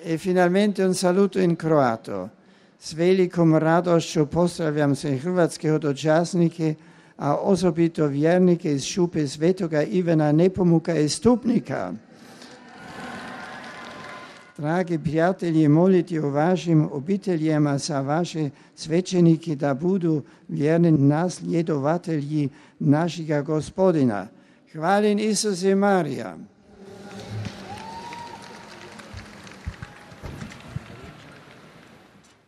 E finalmente un saluto in kroato. S velikom radošću pozdravljam sve hrvatske hodočasnike, a osobito vjernike iz šupe Svetoga Ivana Nepomuka iz Stupnika. Dragi prijatelji, moliti o vašim obiteljima za vaše svećenike da budu vjerni nasljedovatelji našega Gospodina. Hvaljen Isus i Marija.